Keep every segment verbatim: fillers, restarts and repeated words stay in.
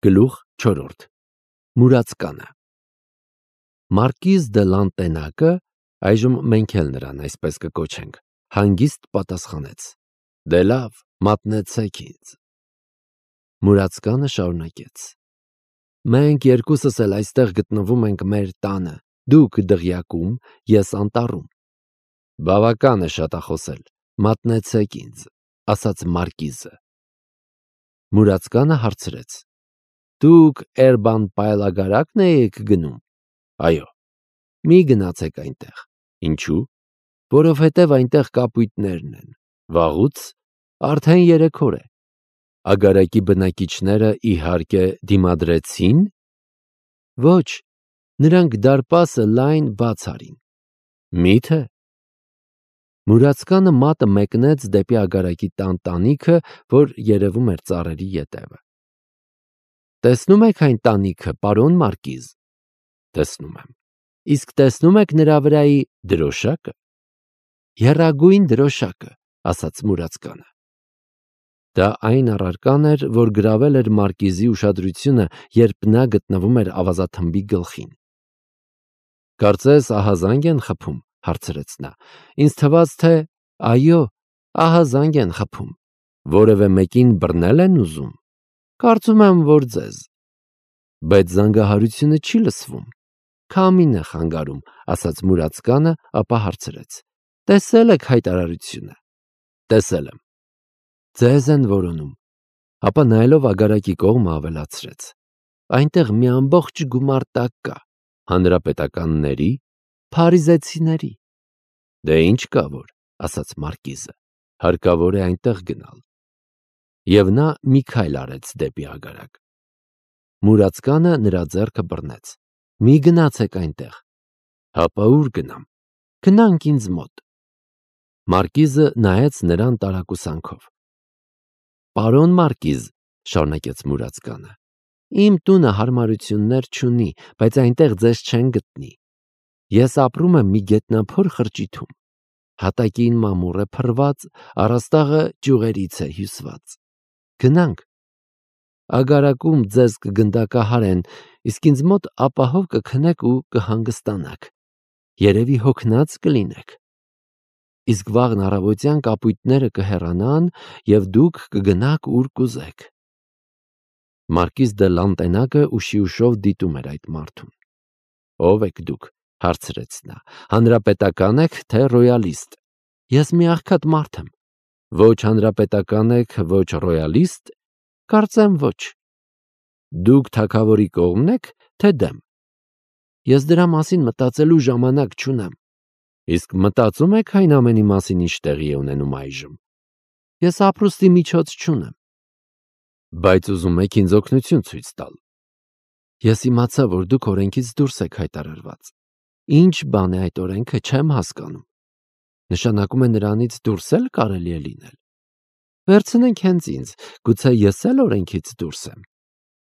Գլուխ չորրորդ Մուրացկանը Մարկիզ դե Լանտենակը, այժմ մենք էլ նրան այսպես կկոչենք, հանգիստ պատասխանեց. Դե լավ, մատնեցեք ինձ։ Մուրացկանը շարունակեց. Մենք երկուսս էլ այստեղ գտնվում ենք մեր տանը, դուք դղյակում, ես անտառում։ Բավական է շատախոսել, մատնեցեք ինձ, ասաց Մարկիզը։ Մուրացկանը հարցրեց. Դուք Էրբան պայլագարակն եք գնում։ Այո, մի գնացեք այնտեղ։ Ինչու՞։ Որովհետև այնտեղ կապույտներն են։ Վաղուց արդեն երեք օր է։ Ագարակի բնակիչները իհարկե դիմադրեցին։ Ոչ, նրանք դարպասը լայն բաց արին։ Մի՞թե։ Մուրացկանը մատը մեկնեց դեպի ագարակի տան տանիքը, որ երևում էր ծառերի ետևը։ Տեսնում եք այն տանիքը, պարոն Մարկիզ։ Տեսնում եմ։ Իսկ տեսնում եք նրա վրայի դրոշակը։ Եռագույն դրոշակը, ասաց Մուրացկանը։ Դա այն առարկան էր, որ գրավել էր Մարկիզի ուշադրությունը, երբ նա գտնվում էր ավազաթմբի գլխին։ Կարծես ահազանգ են խփում, հարցրեց նա։ Ինձ թվաց, թե այո, ահազանգ են խփում։ Որևէ մեկին բռնել են ուզում։ Կարծում եմ, որ ձեզ։ Բայց զանգահարությունը չի լսվում։ Քամին է խանգարում, ասաց Մուրացկանը, ապա հարցրեց. Տեսել եք հայտարարությունը։ Տեսել եմ։ Ձեզ են որոնում։ Ապա նայելով ագարակի կողմը ավելացրեց. Այնտեղ մի ամբողջ գումար տակ կա, հանրապետականների, փարիզեցիների։ Դե ինչ կա որ, ասաց Մարկիզը, հարկավոր է այնտեղ գնալ։ Եվ նա մի քայլ արեց դեպի ագարակ։ Մուրացկանը նրա ձեռքը բռնեց. Մի գնացեք այնտեղ։ Հապա ուր գնամ։ Գնանք ինձ մոտ։ Մարկիզը նայեց նրան տարակուսանքով։ Պարոն Մարկիզ, շարունակեց Մուրացկանը, իմ տունը հարմարություններ չունի, բայց այնտեղ ձեզ չեն գտնի։ Ես ապրում եմ մի գետնափոր խրճիթում։ Հատակին մամուռ է փռված, առաստաղը ճյուղերից է հյուսված։ Գնանք։ Ագարակում ձեզ կգնդակահարեն, իսկ ինձ մոտ ապահով կքնեք ու կհանգստանաք։ Երևի հոգնած կլինեք։ Իսկ վաղն առավոտյան կապույտները կհեռանան և դուք կգնաք ուր կուզեք։ Մարկիզ դե Լանտենակը ուշի ուշով դիտում էր այդ մարդուն։ Ո՞վ եք դուք, հարցրեց նա, հանրապետական եք, թե ռոյալիստ։ Ես մի աղքատ մարդ եմ։ Ոչ հանրապետական եք, ոչ ռոյալիստ, կարծեմ ոչ։ Դուք թագավորի կողմն եք, թե դեմ։ Ես դրա մասին մտածելու ժամանակ չունեմ։ Իսկ մտածում եք այն ամենի մասին, ինչ տեղի է ունենում այժմ։ Ես ապրուստի միջոց չունեմ։ Բայց ուզում եք ինձ օգնություն ցույց տալ։ Ես իմացա, որ դուք օրենքից դուրս եք հայտարարված։ Ինչ բան է այդ օրենքը, չեմ հասկանում։ Նշանակում է նրանից դուրս էլ կարելի է լինել։ Վերցնենք հենց ինձ, գուցե ես էլ օրենքից դուրս եմ։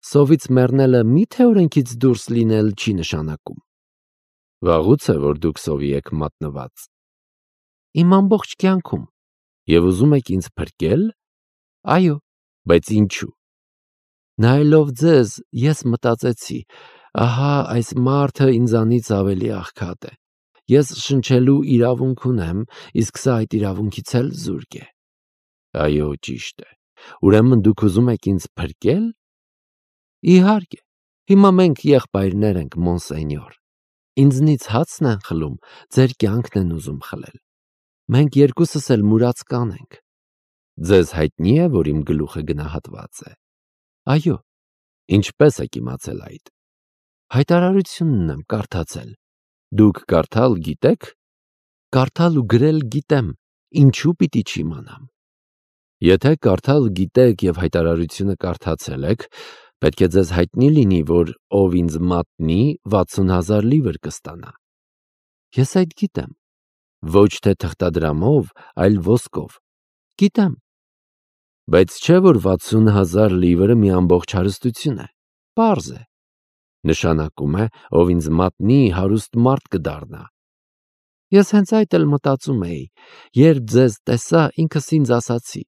Սովից մեռնելը մի՞թե օրենքից դուրս լինել չի նշանակում։ Վաղուց է, որ դուք սովի եք մատնված։ Իմ ամբողջ կյանքում։ Եվ ուզում եք ինձ փրկել։ Այո, բայց ինչու։ Նայելով ձեզ, ես մտածեցի, ահա այս մարդը ինձանից ավելի աղքատ է։ Ես շնչելու իրավունք ունեմ, իսկ սա այդ իրավունքից էլ զուրկ է։ Այո, ճիշտ է։ Ուրեմն դուք ուզում եք ինձ փրկել։ Իհարկե, հիմա մենք եղբայրներ ենք, մոնսենյոր։ Ինձնից հացն են խլում, ձեր կյանքն են ուզում խլել։ Մենք երկուսս էլ մուրացկան ենք։ Ձեզ հայտնի է, որ իմ գլուխը գնահատված է։ Այո, ինչպես եք իմացել այդ։ Հայտարարությունն եմ կարդացել։ Դուք կարդալ գիտեք։ Կարդալ ու գրել գիտեմ, ինչու պիտի չիմանամ։ Եթե կարդալ գիտեք և հայտարարությունը կարդացել եք, պետք է ձեզ հայտնի լինի, որ ով ինձ մատնի, վաթսուն հազար լիվր կստանա։ Ես այդ գիտեմ։ Ոչ թե թղթադրամով, այլ ոսկով։ Գիտեմ։ Բայց չէ, որ վաթսուն հազար լիվրը մի ամբողջ հարստություն է։ Պարզ է։ Նշանակում է, ով ինձ մատնի, հարուստ մարդ կդառնա։ Ես հենց այդ էլ մտածում էի, երբ ձեզ տեսա, ինքս ինձ ասացի.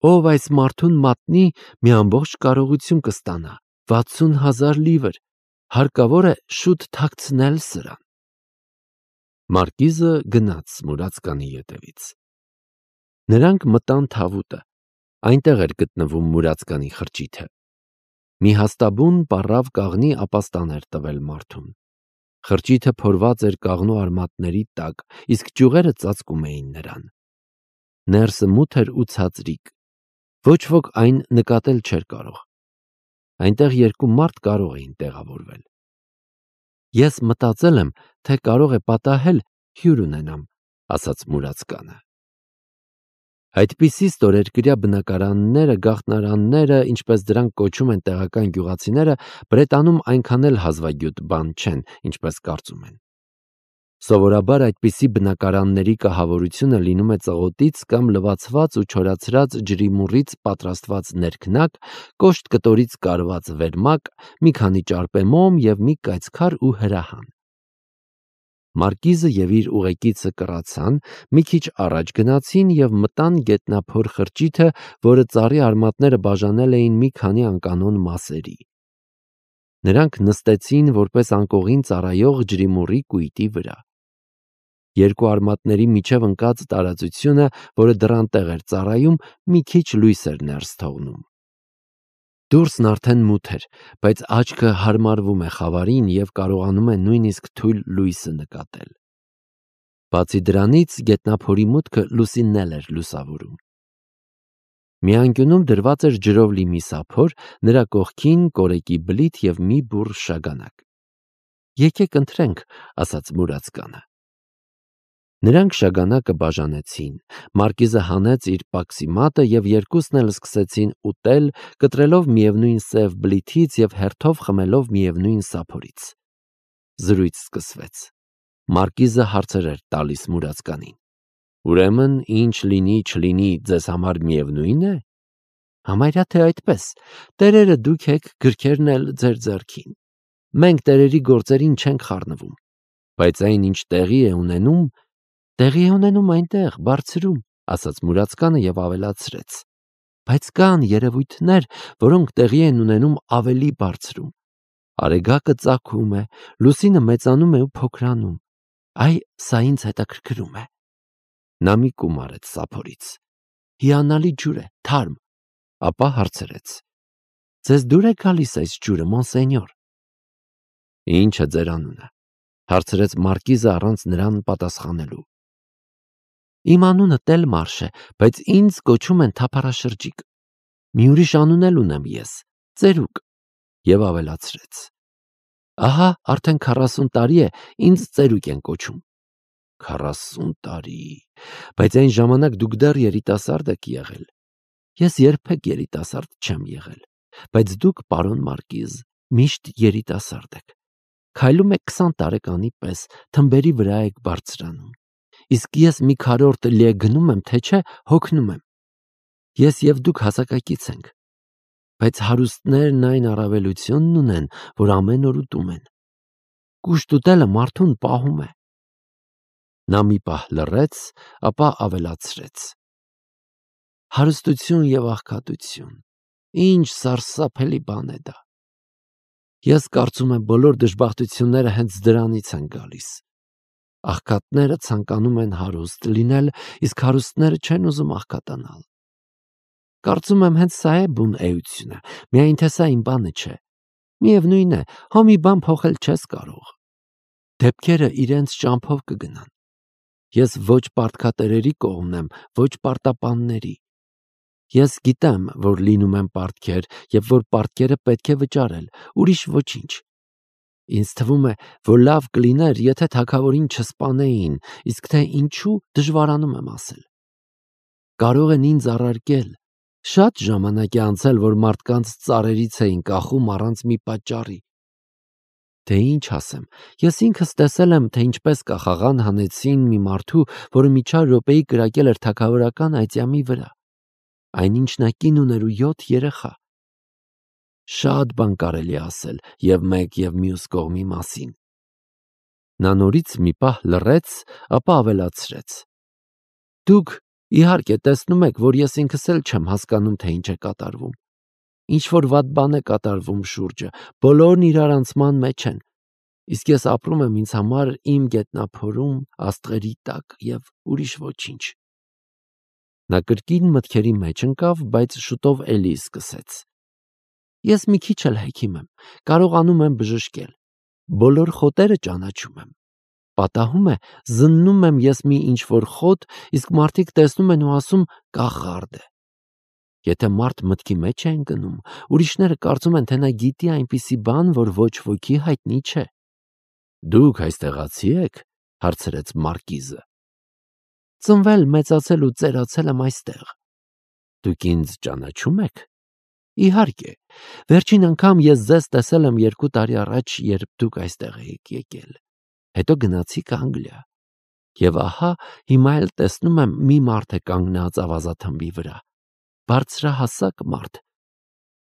ով այս մարդուն մատնի, մի ամբողջ կարողություն կստանա, վաթսուն հազար լիվր, հարկավոր է շուտ թաքցնել սրան։ Մարկիզը գնաց մուրացկանի ետևից։ Նրանք մտան թավուտը, այնտեղ էր գտնվում մուրացկանի խրճիթը։ Մի հաստաբուն պառավ կաղնի ապաստան էր տվել մարդուն։ Խրճիթը փորված էր կաղնու արմատների տակ, իսկ ճյուղերը ծածկում էին նրան։ Ներսը մութ էր ու ցածրիկ, ոչ ոք այն նկատել չէր կարող։ Այնտեղ երկու մարդ կարող էին տեղավորվել։ Ես մտածել եմ, թե կարող է պատահել հյուր ունենամ, ասաց մուրացկանը։ Այդպիսի ստորերկրյա բնակարանները, գաղտնարանները, ինչպես դրանք կոչում են տեղական գյուղացիները, Բրետանում այնքան էլ հազվագյուտ բան չեն, ինչպես կարծում են։ Սովորաբար այդպիսի բնակարանների կահավորությունը լինում է ծղոտից կամ լվացված ու չորացրած ջրիմուռից պատրաստված ներքնակ, կոշտ կտորից կարված վերմակ, մի քանի ճարպեմոմ և մի կայծքար ու հրահան։ Մարկիզը և իր ուղեկիցը կռացան, մի քիչ առաջ գնացին և մտան գետնափոր խրճիթը, որը ծառի արմատները բաժանել էին մի քանի անկանոն մասերի։ Նրանք նստեցին որպես անկողին ծառայող ջրիմուռի կույտի վրա։ Երկու արմատների միջև ընկած տարածությունը, որը դռան տեղ էր ծառայում, մի քիչ լույս էր ներս թողնում։ Դուրսն արդեն մութ էր, բայց աչքը հարմարվում է խավարին և կարողանում է նույնիսկ թույլ լույսը նկատել։ Բացի դրանից, գետնափորի մուտքը լուսինն էլ էր լուսավորում։ Մի անկյունում դրված էր ջրով լի մի սափոր, նրա կողքին կորեկի բլիթ և մի բուռ շագանակ։ Եկեք ընթրենք, ասաց մուրացկանը։ Նրանք շագանակը բաժանեցին, Մարկիզը հանեց իր պաքսի մատը և երկուսն էլ սկսեցին ուտել, կտրելով միևնույն սև բլիթից և հերթով խմելով միևնույն սափորից։ Զրույց սկսվեց։ Մարկիզը հարցեր էր տալիս մուրացկանին։ Ուրեմն, ինչ լինի չլինի, ձեզ համար միևնույն է։ Համարյա թե այդպես, տերերը դուք եք, գրքերն էլ ձեր ձեռքին։ Մենք տերերի գործերին չենք խառնվում, բայց այն, ինչ տեղի է ունենում, տեղի է ունենում այնտեղ, բարձրում, ասաց մուրացկանը և ավելացրեց. բայց կան երևույթներ, որոնք տեղի են ունենում ավելի բարձրում։ Արեգակը ծագում է, լուսինը մեծանում է ու փոքրանում։ Այ, սա ինձ հետաքրքրում է։ Նա մի կում արեց սափորից։ Հիանալի ջուր է, թարմ, ապա հարցրեց. ձեզ դուր է գալիս այս ջուրը, մոնսենյոր։ Ինչ է ձեր անունը, հարցրեց Մարկիզը առանց նրան պատասխանելու։ Իմ անունը Տելմարշ է, բայց ինձ կոչում են թափառաշրջիկ։ Մի ուրիշ անուն էլ ունեմ ես, ծերուկ, և ավելացրեց. ահա արդեն քառասուն տարի է ինձ ծերուկ են կոչում։ Քառասուն տարի, բայց այն ժամանակ դուք դեռ երիտասարդ եք եղել։ Ես երբեք երիտասարդ չեմ եղել, բայց դուք, պարոն Մարկիզ, միշտ երիտասարդ եք։ Քայլում եք քսան տարեկանի պես, թմբերի վրա եք բարձրանում։ Իսկ ես մի քառորդ լե գնում եմ, թե չէ, հոգնում եմ։ Ես և դուք հասակակից ենք, բայց հարուստներն այն առավելությունն ունեն, որ ամեն օր ուտում են։ Կուշտ ուտելը մարդուն պահում է։ Նա մի պահ լռեց, ապա ավելացրեց. հարստություն և աղքատություն, ինչ սարսափելի բան է դա։ Ես կարծում եմ բոլոր դժբախտությունները հենց դրանից են գալիս։ Աղքատները ցանկանում են հարուստ լինել, իսկ հարուստները չեն ուզում աղքատանալ։ Կարծում եմ հենց սա է բուն էությունը, միայն թե սա իմ բանը չէ։ Միևնույն է, հո մի բան փոխել չես կարող։ Դեպքերը իրենց ճամփով կգնան։ Ես ոչ պարտքատերերի կողմն եմ, ոչ պարտապանների։ Ես գիտեմ, որ լինում են պարտքեր և որ պարտքերը պետք է վճարել, ուրիշ ոչինչ։ Ինձ թվում է, որ լավ կլիներ, եթե թագավորին չսպանեին, իսկ թե ինչու դժվարանում եմ ասել։ Կարող են ինձ առարկել։ Շատ ժամանակ է անցել, որ մարդկանց ծառերից էին կախում առանց մի պատճառի։ Թե ինչ ասեմ, ես ինքս տեսել եմ, թե ինչպես կախաղան հանեցին մի մարդու, որը մի չար րոպեի կրակել էր թագավորական այծյամի վրա։ Այնինչ նա կին ուներ ու յոթ երեխա։ Շատ բան կարելի ասել և մեկ և մյուս կողմի մասին։ Նա նորից մի պահ լռեց, ապա ավելացրեց. Դուք, իհարկե, տեսնում եք, որ ես ինքս էլ չեմ հասկանում, թե ինչ է կատարվում։ ինչ-որ վատ բան է կատարվում շուրջը, բոլորն իրար անցման մեջ են, իսկ ես ապրում եմ ինձ համար իմ գետնափորում, աստղերի տակ և ուրիշ ոչինչ։ Նա կրկին մտքերի մեջ ընկավ, բայց շուտով էլի սկսեց. Ես մի քիչ էլ հեքիմ եմ, կարողանում եմ բժշկել, բոլոր խոտերը ճանաչում եմ։ Պատահում է, զննում եմ ես մի ինչ-որ խոտ, իսկ մարդիկ տեսնում են ու ասում կախարդ է։ Եթե մարդ մտքի մեջ է ընկնում, ուրիշները կարծում են, թե նա գիտի այնպիսի բան, որ ոչ ոքի հայտնի չէ։ Դուք այստեղացի եք, հարցրեց մարկիզը։ Ծնվել, մեծացել ու ծերացել եմ այստեղ։ Դուք ինձ ճանաչում եք։ Իհարկե, վերջին անգամ ես ձեզ տեսել եմ երկու տարի առաջ, երբ դուք այստեղ եք եկել։ Հետո գնացիք Անգլիա։ Եվ ահա հիմա էլ տեսնում եմ մի մարդ է կանգնած ավազաթմբի վրա։ Բարձրահասակ մարդ։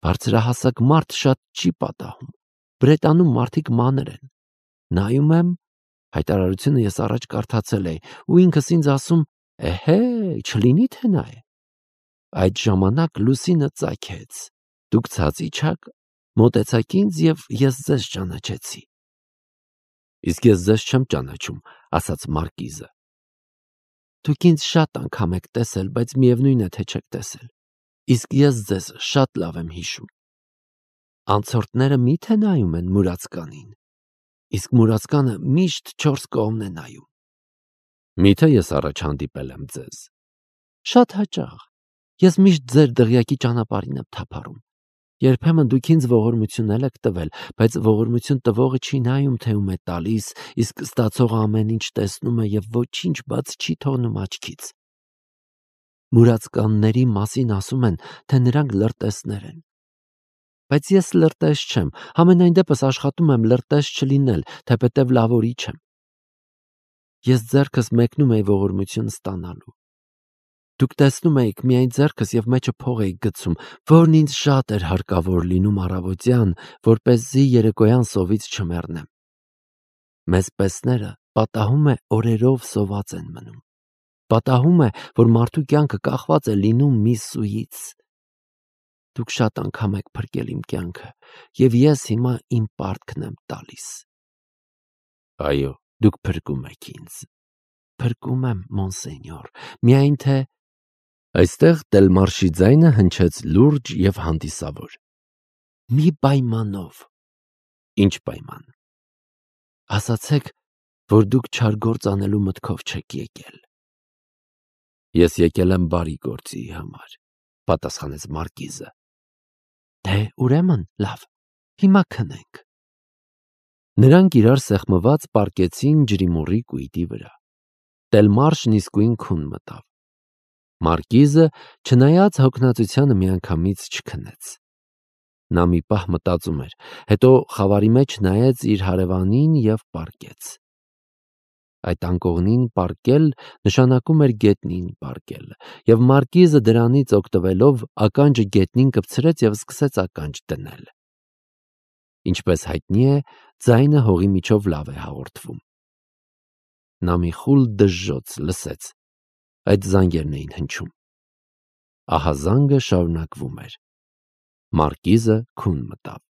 Բարձրահասակ մարդ շատ չի պատահում։ Բրետանում մարդիկ մանր են։ Նայում եմ, հայտարարությունը ես առաջ կարդացել էի, ու ինքս ինձ ասում, էհե, չլինի թե նա է։ Այդ ժամանակ լուսինը ծագեց։ Դուք ցած իջաք, մոտեցաք ինձ և ես ձեզ ճանաչեցի։ Իսկ ես ձեզ չեմ ճանաչում, ասաց մարկիզը։ Դուք ինձ շատ անգամ եք տեսել, բայց միևնույն է, թե չեք տեսել։ Իսկ ես ձեզ շատ լավ եմ հիշում։ Անցորդները մի՞թե նայում են մուրացկանին, իսկ մուրացկանը միշտ չորս կողմն է նայում։ Մի՞թե ես առաջ հանդիպել եմ ձեզ։ Շատ հաճախ։ Ես միշտ ձեր դղյակի ճանապարհին եմ թափառում։ Երբեմն դուք ինձ ողորմություն եք տվել, բայց ողորմություն տվողը չի նայում, թե ում է տալիս, իսկ ստացողը ամեն ինչ տեսնում է և ոչինչ բաց չի թողնում աչքից։ Մուրացկանների մասին ասում են, թե նրանք լրտեսներ են։ Բայց ես լրտես չեմ, համենայն դեպս աշխատում եմ լրտես չլինել, թեպետև լավորիչ եմ։ Ես ձեռքս մեկնում էի ողորմություն ստանալու։ Դուք տեսնում էիք միայն ձեռքս և մեջը փող էիք գցում, որն ինձ շատ էր հարկավոր լինում առավոտյան, որպեսզի երեկոյան սովից չմեռնեմ։ Մեզ պեսները պատահում է օրերով սոված են մնում։ Պատահում է, որ մարդու կյանքը կախված է լինում մի սուից։ Դուք շատ անգամ եք փրկել իմ կյանքը, և ես հիմա իմ պարտքն եմ տալիս։ Այո, դուք փրկում եք ինձ։ Փրկում եմ, մոնսենյոր, միայն թե… Այստեղ Տելմարշի ձայնը հնչեց լուրջ և հանդիսավոր։ Մի պայմանով։ Ինչ պայման։ Ասացեք, որ դուք չար գործ անելու մտքով չեք եկել։ Ես եկել եմ բարի գործի համար, պատասխանեց մարկիզը։ Դե ուրեմն լավ, հիմա քնենք։ Նրանք իրար սեղմված պառկեցին ջրիմուռի կույտի վրա։ Տելմարշն իսկույն քուն մտավ։ Մարկիզը, չնայած հոգնածությանը, միանգամից չքնեց։ Նա մի պահ մտածում էր, հետո խավարի մեջ նայեց իր հարևանին և պառկեց։ Այդ անկողնին պառկել նշանակում էր գետնին պառկել, և մարկիզը դրանից օգտվելով ականջը գետնին կպցրեց և սկսեց ականջ դնել։ Ինչպես հայտնի է, ձայնը հողի միջով լավ է հաղորդվում։ Նա մի խուլ դժժոց լսեց։ Այդ զանգերն էին հնչում։ Ահա զանգը շարունակվում էր։ Մարկիզը քուն մտավ։